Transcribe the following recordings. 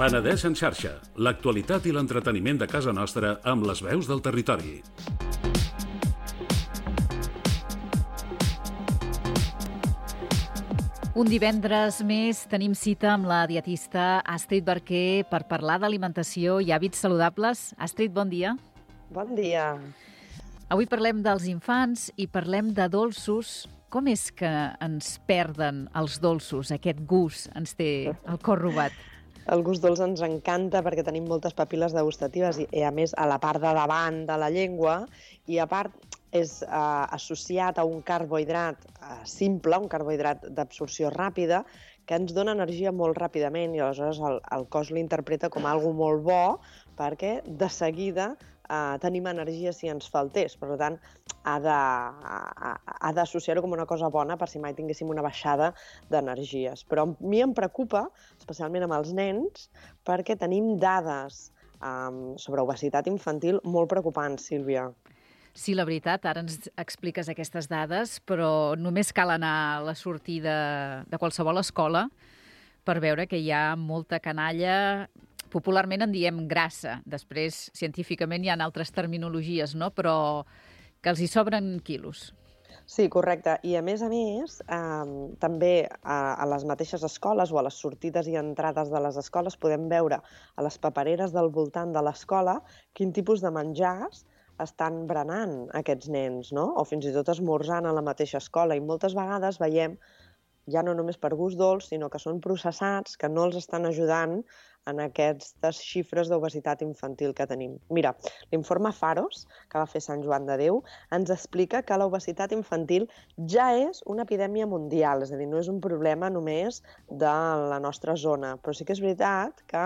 Penedès en xarxa, l'actualitat i l'entreteniment de casa nostra amb les veus del territori. Un divendres més tenim cita amb la dietista Astrid Barquer per parlar d'alimentació i hàbits saludables. Astrid, bon dia. Bon dia. Avui parlem dels infants i parlem de dolços. Com és que ens perden els dolços? Aquest gust ens té el cor robat. El gust dolç ens encanta perquè tenim moltes papil·les degustatives i a més a la part de davant de la llengua i a part és associat a un carbohidrat simple, un carbohidrat d'absorció ràpida, que ens dona energia molt ràpidament i aleshores el cos l'interpreta com algo molt bo perquè de seguida tenim energia si ens faltés. Per tant, ha d'associar-ho com una cosa bona per si mai tinguéssim una baixada d'energies. Però a mi em preocupa, especialment amb els nens, perquè tenim dades sobre obesitat infantil molt preocupants, Sílvia. Sí, la veritat, ara ens expliques aquestes dades, però només cal anar a la sortida de qualsevol escola per veure que hi ha molta canalla. Popularment en diem grassa. Després, científicament, hi ha altres terminologies, no? Però que els hi sobren quilos. Sí, correcte. I a més, també a les mateixes escoles o a les sortides i entrades de les escoles podem veure a les papereres del voltant de l'escola quin tipus de menjars estan berenant aquests nens, no? O fins i tot esmorzant a la mateixa escola. I moltes vegades veiem, ja no només per gust dolç, sinó que són processats, que no els estan ajudant en aquestes xifres d'obesitat infantil que tenim. Mira, l'informe Pharos, que va fer Sant Joan de Déu, ens explica que l'obesitat infantil ja és una epidèmia mundial, és a dir, no és un problema només de la nostra zona, però sí que és veritat que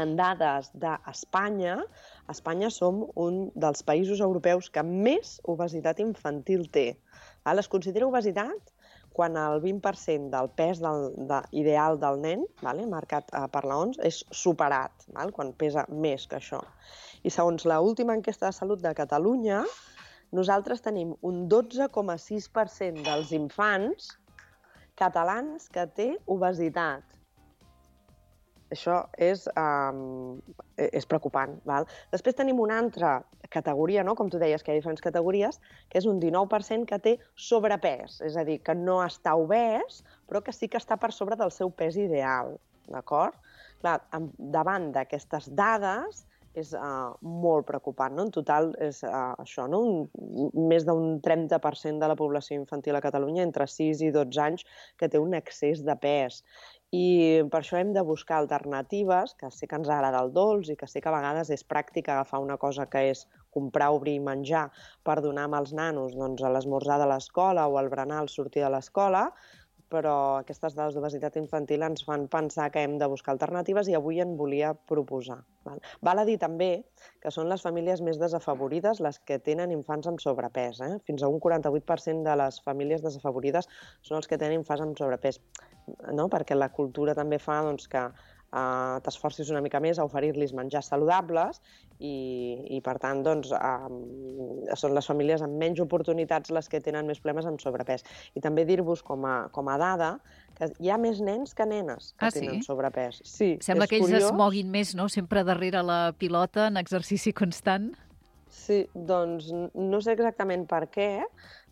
en dades d'Espanya, Espanya som un dels països europeus que més obesitat infantil té. Es considera obesitat quan el 20% del pes ideal del nen, marcat per l'OMS, és superat, quan pesa més que això. I segons l'última enquesta de salut de Catalunya, nosaltres tenim un 12,6% dels infants catalans que té obesitat. Això és preocupant. Després tenim una altra categoria, com tu deies, que hi ha diferents categories, que és un 19% que té sobrepès, és a dir, que no està obès, però que sí que està per sobre del seu pes ideal. D'acord? Clar, davant d'aquestes dades és molt preocupant. En total és això, més d'un 30% de la població infantil a Catalunya entre 6 i 12 anys que té un excés de pes. I per això hem de buscar alternatives, que sí que ens agrada el dolç i que sí que a vegades és pràctic agafar una cosa que és comprar, obrir i menjar per donar als nanos a l'esmorzar de l'escola o al berenar al sortir de l'escola, però aquestes dades d'obesitat infantil ens fan pensar que hem de buscar alternatives i avui en volia proposar. Val a dir també que són les famílies més desafavorides les que tenen infants amb sobrepès. Fins a un 48% de les famílies desafavorides són els que tenen infants amb sobrepès, perquè la cultura també fa que t'esforcis una mica més a oferir-los menjars saludables i per tant, són les famílies amb menys oportunitats les que tenen més problemes amb sobrepès. I també dir-vos com a dada que hi ha més nens que nenes que tenen sobrepès. Sí, sembla que ells es moguin més, no? Sempre darrere la pilota en exercici constant. Sí, doncs no sé exactament per què,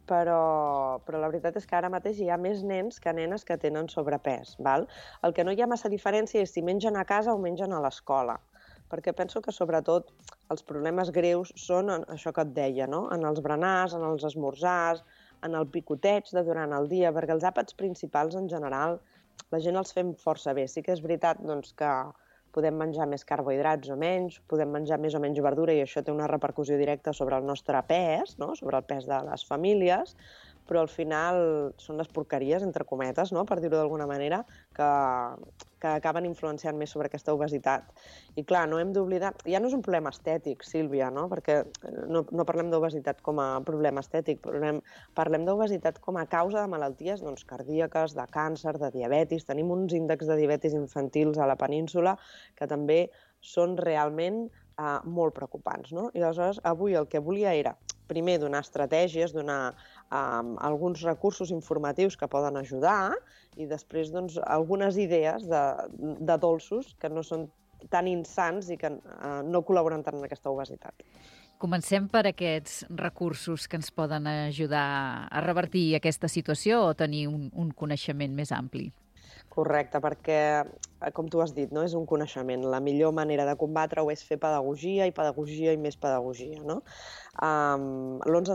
però la veritat és que ara mateix hi ha més nens que nenes que tenen sobrepès. El que no hi ha massa diferència és si mengen a casa o mengen a l'escola, perquè penso que sobretot els problemes greus són això que et deia, en els berenars, en els esmorzars, en el picoteig de durant el dia, perquè els àpats principals en general la gent els fem força bé. Sí que és veritat que podem menjar més carbohidrats o menys, podem menjar més o menys verdura i això té una repercussió directa sobre el nostre pes, sobre el pes de les famílies, però al final són les porqueries, entre cometes, per dir-ho d'alguna manera, que acaben influenciant més sobre aquesta obesitat. I clar, no hem d'oblidar... Ja no és un problema estètic, Sílvia, perquè no parlem d'obesitat com a problema estètic, parlem d'obesitat com a causa de malalties cardíaques, de càncer, de diabetis. Tenim uns índexs de diabetis infantils a la península que també són realment molt preocupants. I aleshores avui el que volia era primer donar estratègies, donar alguns recursos informatius que poden ajudar i després doncs, algunes idees de dolços que no són tan insans i que no col·laboren tant en aquesta obesitat. Comencem per aquests recursos que ens poden ajudar a revertir aquesta situació o tenir un coneixement més ampli. Correcte, perquè, com tu has dit, no? És un coneixement. La millor manera de combatre-ho és fer pedagogia i més pedagogia. No? L'11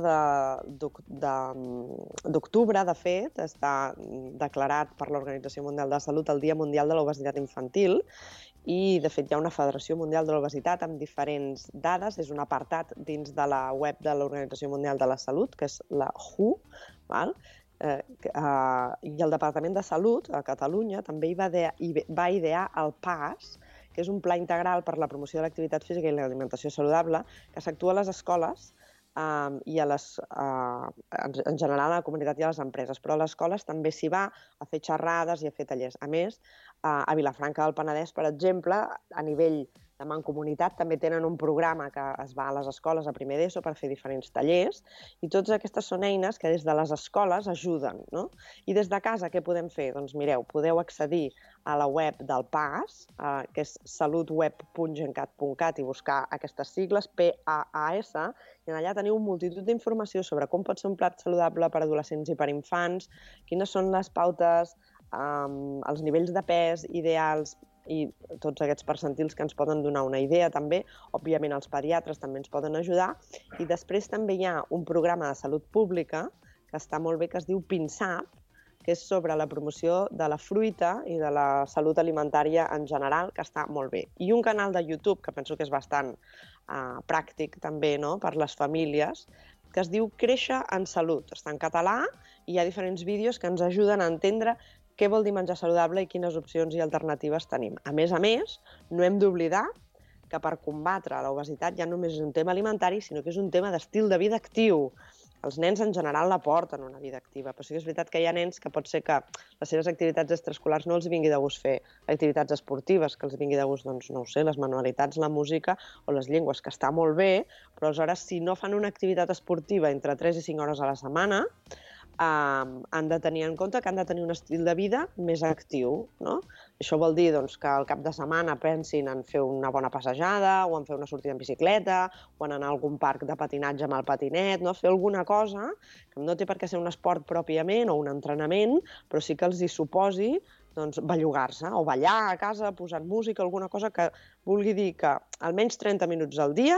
d'octubre, de fet, està declarat per l'Organització Mundial de la Salut el Dia Mundial de l'Obesitat Infantil i, de fet, hi ha una Federació Mundial de l'Obesitat amb diferents dades. És un apartat dins de la web de l'Organització Mundial de la Salut, que és la WHO, val? I el Departament de Salut a Catalunya també va idear el PAS, que és un pla integral per la promoció de l'activitat física i l'alimentació saludable, que s'actua a les escoles i en general a la comunitat i a les empreses, però a les escoles també s'hi va a fer xerrades i a fer tallers. A més, a Vilafranca del Penedès, per exemple, a nivell de mancomunitat també tenen un programa que es va a les escoles a primer d'ESO per fer diferents tallers i totes aquestes són eines que des de les escoles ajuden. No? I des de casa què podem fer? Doncs mireu, podeu accedir a la web del PAS, que és salutweb.gencat.cat i buscar aquestes sigles, PAAS, i allà teniu multitud d'informació sobre com pot ser un plat saludable per adolescents i per infants, quines són les pautes, els nivells de pes ideals i tots aquests percentils que ens poden donar una idea també. Òbviament els pediatres també ens poden ajudar. I després també hi ha un programa de salut pública que està molt bé, que es diu PINSAP, que és sobre la promoció de la fruita i de la salut alimentària en general, que està molt bé. I un canal de YouTube, que penso que és bastant pràctic també, no?, per les famílies, que es diu Créixer en Salut. Està en català i hi ha diferents vídeos que ens ajuden a entendre què vol dir menjar saludable i quines opcions i alternatives tenim. A més, no hem d'oblidar que per combatre l'obesitat ja només és un tema alimentari, sinó que és un tema d'estil de vida actiu. Els nens en general la porten una vida activa, però sí que és veritat que hi ha nens que pot ser que les seves activitats extraescolars no els vingui de gust fer activitats esportives, que els vingui de gust, doncs, no ho sé, les manualitats, la música o les llengües, que està molt bé, però aleshores si no fan una activitat esportiva entre 3 i 5 hores a la setmana, han de tenir en compte que han de tenir un estil de vida més actiu. No? Això vol dir doncs, que al cap de setmana pensin en fer una bona passejada o en fer una sortida en bicicleta o en anar a algun parc de patinatge amb el patinet, no? Fer alguna cosa que no té per què ser un esport pròpiament o un entrenament, però sí que els hi suposi doncs, bellugar-se o ballar a casa posant música, alguna cosa que vulgui dir que almenys 30 minuts al dia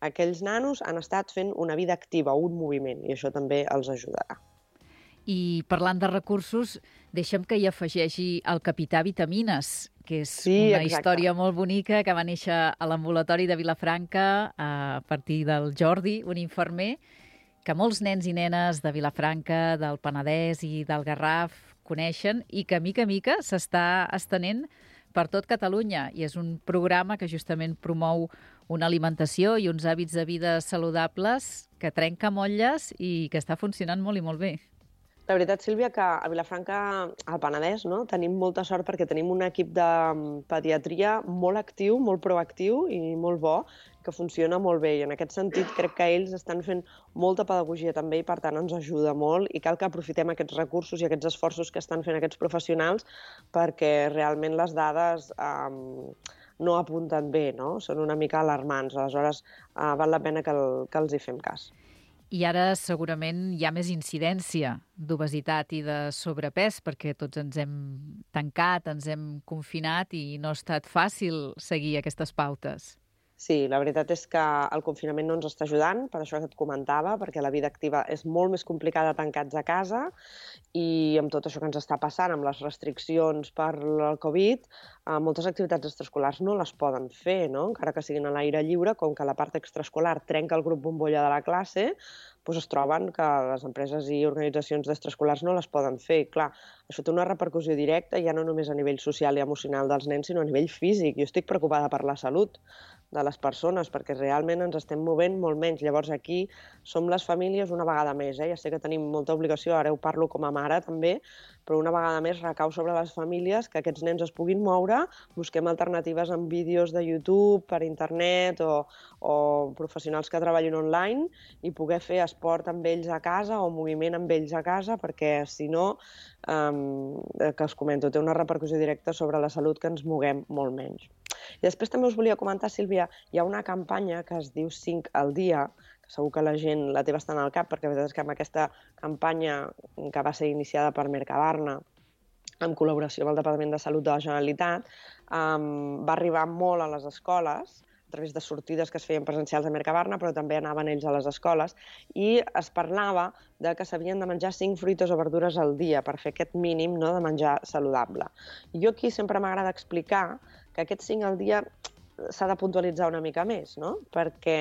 aquells nanos han estat fent una vida activa, un moviment, i això també els ajudarà. I parlant de recursos, deixa'm que hi afegeixi el Capità Vitamines, que és una història molt bonica que va néixer a l'ambulatori de Vilafranca a partir del Jordi, un infermer, que molts nens i nenes de Vilafranca, del Penedès i del Garraf coneixen i que, mica a mica, s'està estenent per tot Catalunya. I és un programa que justament promou una alimentació i uns hàbits de vida saludables que trenca motlles i que està funcionant molt i molt bé. La veritat, Sílvia, que a Vilafranca, al Penedès, no, tenim molta sort perquè tenim un equip de pediatria molt actiu, molt proactiu i molt bo, que funciona molt bé. I en aquest sentit crec que ells estan fent molta pedagogia també i per tant ens ajuda molt i cal que aprofitem aquests recursos i aquests esforços que estan fent aquests professionals perquè realment les dades no apunten bé, no? Són una mica alarmants. Aleshores, val la pena que els hi fem cas. I ara segurament hi ha més incidència d'obesitat i de sobrepès perquè tots ens hem tancat, ens hem confinat i no ha estat fàcil seguir aquestes pautes. Sí, la veritat és que el confinament no ens està ajudant, per això que et comentava, perquè la vida activa és molt més complicada tancats a casa i amb tot això que ens està passant, amb les restriccions per el Covid, moltes activitats extraescolars no les poden fer, no? Encara que siguin a l'aire lliure, com que la part extraescolar trenca el grup bombolla de la classe, doncs es troben que les empreses i organitzacions d'extraescolars no les poden fer. Clar, això té una repercussió directa ja no només a nivell social i emocional dels nens, sinó a nivell físic. Jo estic preocupada per la salut, de les persones, perquè realment ens estem movent molt menys. Llavors aquí som les famílies una vegada més. Ja sé que tenim molta obligació, ara ho parlo com a mare també, però una vegada més recau sobre les famílies que aquests nens es puguin moure, busquem alternatives en vídeos de YouTube, per internet o professionals que treballin online i poder fer esport amb ells a casa o moviment amb ells a casa, perquè si no, que us comento, té una repercussió directa sobre la salut, que ens moguem molt menys. I després també us volia comentar, Sílvia, hi ha una campanya que es diu 5 al dia, que segur que la gent la té bastant al cap, perquè la veritat és que amb aquesta campanya que va ser iniciada per Mercabarna, en col·laboració amb el Departament de Salut de la Generalitat, va arribar molt a les escoles, a través de sortides que es feien presencials a Mercabarna, però també anaven ells a les escoles, i es parlava de que s'havien de menjar 5 fruites o verdures al dia per fer aquest mínim, no, de menjar saludable. Jo aquí sempre m'agrada explicar que aquest 5 al dia s'ha de puntualitzar una mica més, no? Perquè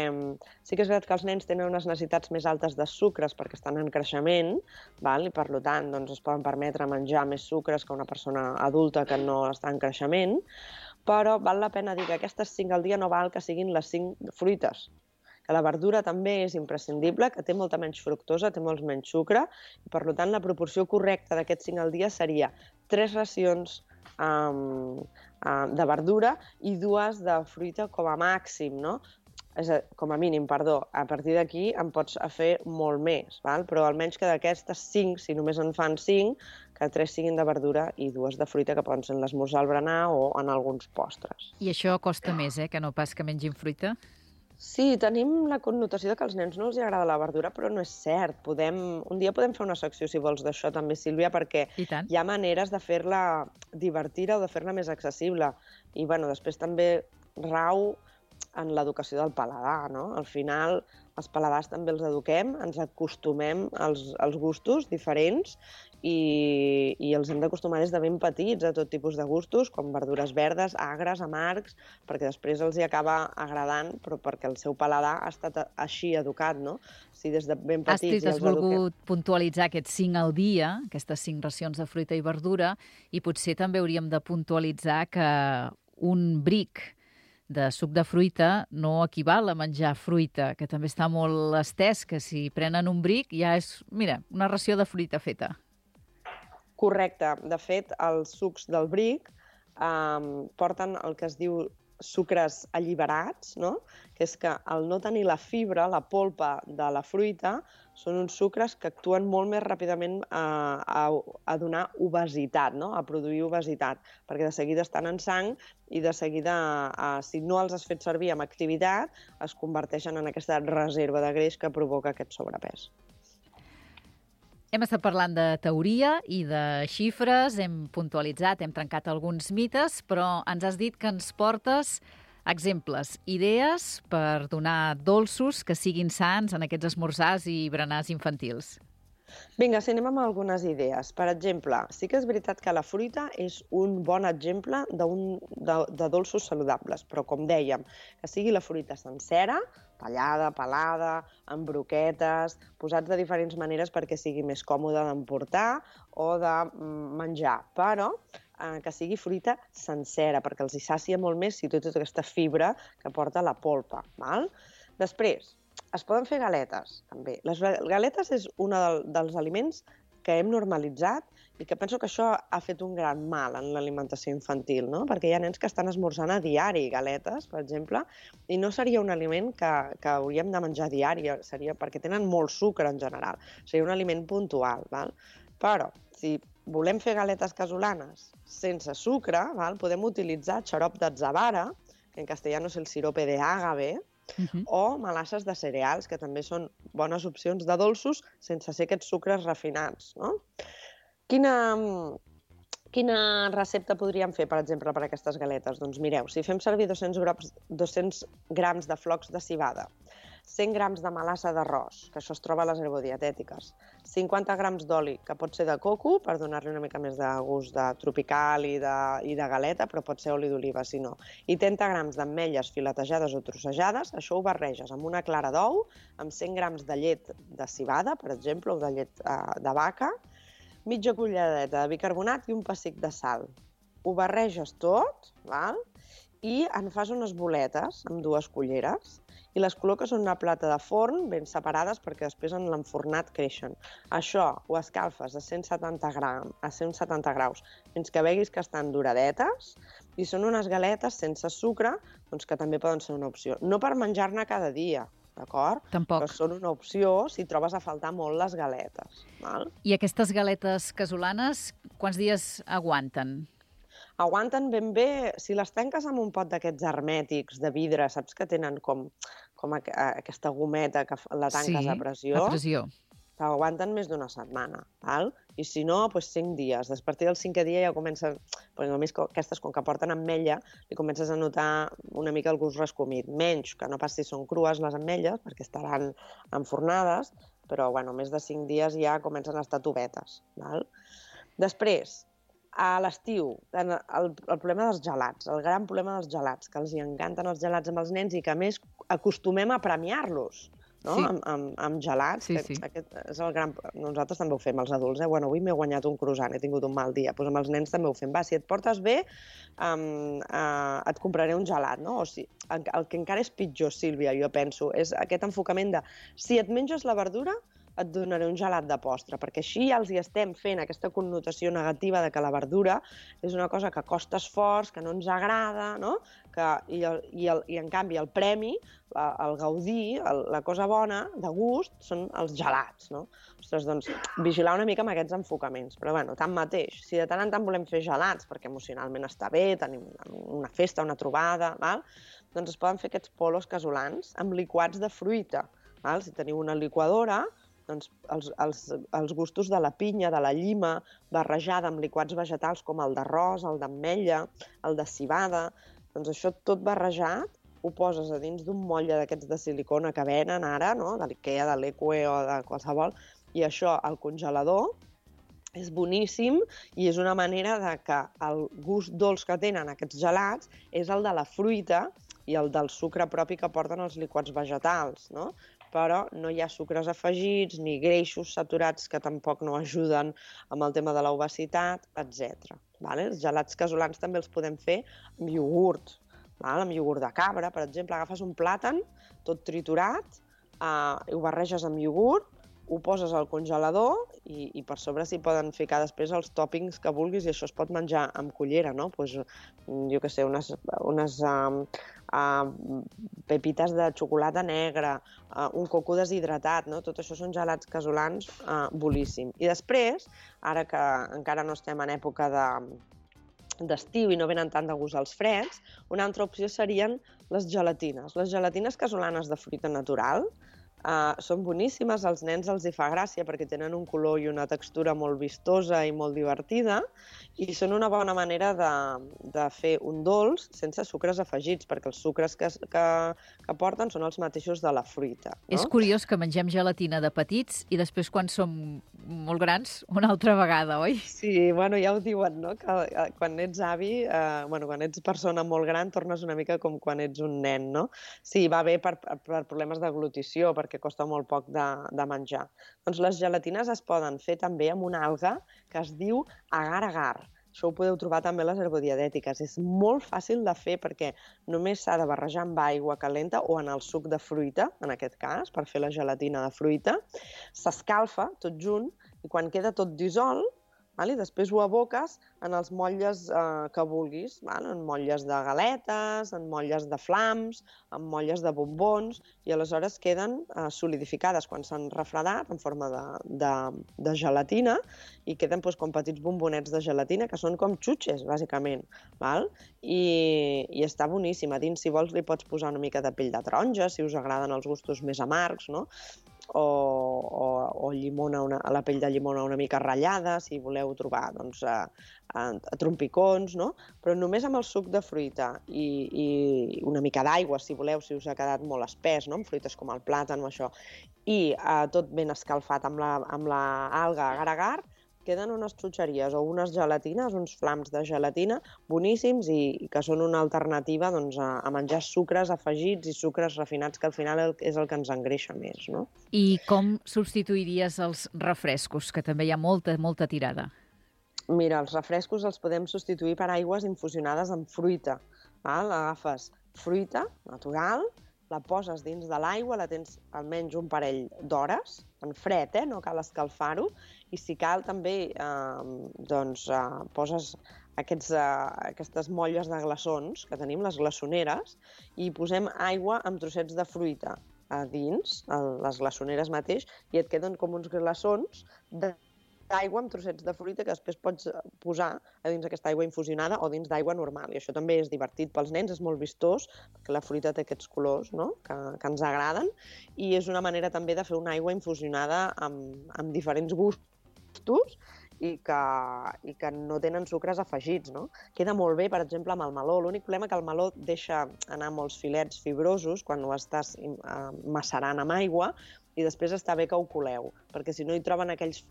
sí que és veritat que els nens tenen unes necessitats més altes de sucres perquè estan en creixement, i per tant es poden permetre menjar més sucres que una persona adulta que no està en creixement, però val la pena dir que aquestes 5 al dia no val que siguin les 5 fruites, que la verdura també és imprescindible, que té molta menys fructosa, té molt menys sucre, i per tant la proporció correcta d'aquests 5 al dia seria 3 racions de verdura i 2 de fruita com a màxim, no? Com a mínim, perdó. A partir d'aquí en pots fer molt més, però almenys que d'aquestes 5, si només en fan 5, que 3 siguin de verdura i 2 de fruita, que poden ser en l'esmorzar, al berenar o en alguns postres. I això costa més, que no pas que mengin fruita? Sí, tenim la connotació que als nens no els agrada la verdura, però no és cert. Un dia podem fer una secció, si vols, d'això també, Sílvia, perquè hi ha maneres de fer-la divertida o de fer-la més accessible. I després també rau en l'educació del paladar, no? Al final, els paladars també els eduquem, ens acostumem als gustos diferents i els hem d'acostumar des de ben petits a tot tipus de gustos, com verdures verdes, agres, amargs, perquè després els hi acaba agradant, però perquè el seu paladar ha estat així educat, no? Si des de ben petits Astrid, has volgut puntualitzar aquests 5 al dia, aquestes 5 racions de fruita i verdura, i potser també hauríem de puntualitzar que un bric de suc de fruita no equival a menjar fruita, que també està molt estès, que si prenen un bric ja és, mira, una ració de fruita feta. Correcte. De fet, els sucs del bric porten el que es diu sucres alliberats, no? Que és que al no tenir la fibra, la polpa de la fruita, són uns sucres que actuen molt més ràpidament a donar obesitat, no? A produir obesitat, perquè de seguida estan en sang i de seguida, si no els has fet servir amb activitat, es converteixen en aquesta reserva de greix que provoca aquest sobrepès. Hem estat parlant de teoria i de xifres, hem puntualitzat, hem trencat alguns mites, però ens has dit que ens portes exemples, idees per donar dolços que siguin sans en aquests esmorzars i berenars infantils. Vinga, si anem amb algunes idees. Per exemple, sí que és veritat que la fruita és un bon exemple de dolços saludables, però com dèiem, que sigui la fruita sencera, tallada, pelada, amb broquetes, posats de diferents maneres perquè sigui més còmode d'emportar o de menjar, però que sigui fruita sencera, perquè els hi sàcia molt més si té tota aquesta fibra que porta la polpa. Després, es poden fer galetes, també. Les galetes és un dels aliments que hem normalitzat i que penso que això ha fet un gran mal en l'alimentació infantil, no? Perquè hi ha nens que estan esmorzant a diari galetes, per exemple, i no seria un aliment que hauríem de menjar a diari, perquè tenen molt sucre en general. Seria un aliment puntual, Però, si volem fer galetes casolanes sense sucre, podem utilitzar xarop d'atzavara, que en castellano és el sirope de ágave, o melasses de cereals, que també són bones opcions de dolços sense ser aquests sucres refinats, no? Quina recepta podríem fer, per exemple, per a aquestes galetes? Doncs mireu, si fem servir 200 grams de flocs de civada, 100 grams de melassa d'arròs, que això es troba a les herbodietètiques, 50 grams d'oli, que pot ser de coco, per donar-li una mica més de gust de tropical i de galeta, però pot ser oli d'oliva, si no. I 30 grams d'ametlles filetejades o trossejades, això ho barreges amb una clara d'ou, amb 100 grams de llet de civada, per exemple, o de llet de vaca, mitja culleradeta de bicarbonat i un pessic de sal. Ho barreges tot, i en fas unes boletes amb 2 culleres i les col·loques en una plata de forn ben separades perquè després en l'enfornat creixen. Això ho escalfes a 170 graus fins que veguis que estan duradetes i són unes galetes sense sucre, doncs que també poden ser una opció. No per menjar-ne cada dia, d'acord? Tampoc. Però són una opció si trobes a faltar molt les galetes. Val? I aquestes galetes casolanes, quants dies aguanten? Aguanten ben bé, si les tanques amb un pot d'aquests hermètics de vidre, saps que tenen com aquesta gometa que la tanques a pressió? Sí, a pressió. T'aguanten més d'una setmana, val? I si no, doncs 5 dies. A partir del 5è dia ja comencen, doncs només aquestes, com que porten ametlla, li comences a notar una mica el gust rescomit. Menys, que no pas si són crues les ametlles, perquè estaran enfornades, però bueno, més de 5 dies ja comencen a estar tovetes, val? Després, a l'estiu, el problema dels gelats, el gran problema dels gelats, que els hi encanten els gelats amb els nens i que a més acostumem a premiar-los, no? Sí. Amb gelats. Sí, sí. Aquest és el gran... Nosaltres també ho fem, els adults. Bueno, avui m'he guanyat un croissant, he tingut un mal dia. Doncs amb els nens també ho fem. Va, si et portes bé, et compraré un gelat, no? O sigui, el que encara és pitjor, Sílvia, jo penso, és aquest enfocament de si et menges la verdura, et donaré un gelat de postre, perquè així ja els hi estem fent aquesta connotació negativa de que la verdura és una cosa que costa esforç, que no ens agrada, no? I en canvi el premi, el gaudir, la cosa bona, de gust, són els gelats, no? Ostres, doncs, vigilar una mica amb aquests enfocaments. Però, bueno, tanmateix, si de tant en tant volem fer gelats, perquè emocionalment està bé, tenim una festa, una trobada, val? Doncs es poden fer aquests polos casolans amb liquats de fruita. Val? Si teniu una liquadora, doncs els gustos de la pinya, de la llima, barrejada amb liquats vegetals com el d'arròs, el d'ametlla, el de civada, doncs això tot barrejat ho poses a dins d'un motlle d'aquests de silicona que venen ara, no? De l'Ikea, de l'Eque o de qualsevol, i això al congelador és boníssim i és una manera de que el gust dolç que tenen aquests gelats és el de la fruita i el del sucre propi que porten els liquats vegetals, no? Però no hi ha sucres afegits ni greixos saturats que tampoc no ajuden amb el tema de l'obesitat, etc. Els gelats casolans també els podem fer amb iogurt, amb iogurt de cabra, per exemple. Agafes un plàtan tot triturat, ho barreges amb iogurt, ho poses al congelador i per sobre s'hi poden ficar després els tòpings que vulguis i això es pot menjar amb cullera, no? Pues, jo què sé, unes pepites de xocolata negra, un coco deshidratat, no? Tot això són gelats casolans boníssim. I després, ara que encara no estem en època d'estiu i no venen tant de gust als freds, una altra opció serien les gelatines. Les gelatines casolanes de fruita natural són boníssimes, als nens els hi fa gràcia perquè tenen un color i una textura molt vistosa i molt divertida i són una bona manera de fer un dolç sense sucres afegits, perquè els sucres que porten són els mateixos de la fruita. No? És curiós que mengem gelatina de petits i després quan som molt grans una altra vegada, oi? Sí, bueno, ja ho diuen, no? Que quan ets avi, quan ets persona molt gran, tornes una mica com quan ets un nen, no? Sí, va bé per problemes d'aglutició, perquè costa molt poc de menjar. Doncs les gelatines es poden fer també amb una alga que es diu agar-agar. Això ho podeu trobar també a les herbodiadètiques. És molt fàcil de fer perquè només s'ha de barrejar amb aigua calenta o en el suc de fruita, en aquest cas, per fer la gelatina de fruita. S'escalfa tot junt i quan queda tot dissolt, i després ho aboques en els motlles que vulguis, en motlles de galetes, en motlles de flams, en motlles de bombons, i aleshores queden solidificades quan s'han refredat en forma de gelatina i queden com petits bombonets de gelatina que són com xutxes, bàsicament. I està boníssim. A dins, si vols, li pots posar una mica de pell de taronja, si us agraden els gustos més amargs, no? O llimona, la pell de llimona una mica ratllada, si voleu trobar trompicons, no? Però només amb el suc de fruita i una mica d'aigua, si voleu, si us ha quedat molt espès, no? Amb fruites com el plàtan o això, i tot ben escalfat amb l'alga agar-agar, queden unes xutxeries o unes gelatines, uns flams de gelatina boníssims i que són una alternativa a menjar sucres afegits i sucres refinats, que al final és el que ens engreixa més, no? I com substituiries els refrescos, que també hi ha molta tirada? Mira, els refrescos els podem substituir per aigües infusionades amb fruita. Val? Agafes fruita natural, la poses dins de l'aigua, la tens almenys un parell d'hores, en fred, no cal escalfar-ho, i si cal també poses aquestes molles de glaçons que tenim, les glaçoneres, i posem aigua amb trossets de fruita a dins, a les glaçoneres mateix, i et queden com uns glaçons d'aigua amb trossets de fruita que després pots posar a dins aquesta aigua infusionada o dins d'aigua normal. I això també és divertit pels nens, és molt vistós, perquè la fruita té aquests colors, no?, que ens agraden, i és una manera també de fer una aigua infusionada amb diferents gustos i que no tenen sucres afegits, no? Queda molt bé, per exemple, amb el meló. L'únic problema que el meló deixa anar molts filets fibrosos quan ho estàs macerant amb aigua i després està bé que ho coleu, perquè si no hi troben aquells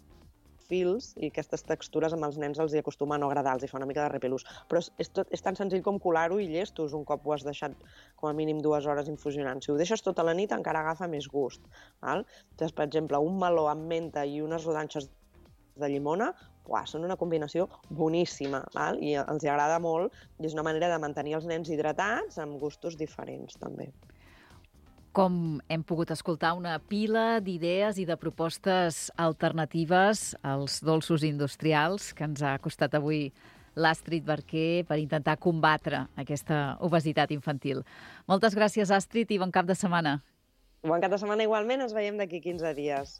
fils i aquestes textures amb els nens els hi acostuma a no agradar, els hi fa una mica de repelús. Però és tan senzill com colar-ho i llestos un cop ho has deixat com a mínim 2 hores infusionant. Si ho deixes tota la nit encara agafa més gust. Val? Llavors, per exemple, un meló amb menta i unes rodanxes de llimona, són una combinació boníssima, val? I els hi agrada molt i és una manera de mantenir els nens hidratats amb gustos diferents també. Com hem pogut escoltar, una pila d'idees i de propostes alternatives als dolços industrials que ens ha costat avui l'Astrid Barquer per intentar combatre aquesta obesitat infantil. Moltes gràcies, Astrid, i bon cap de setmana. Bon cap de setmana igualment, ens veiem d'aquí 15 dies.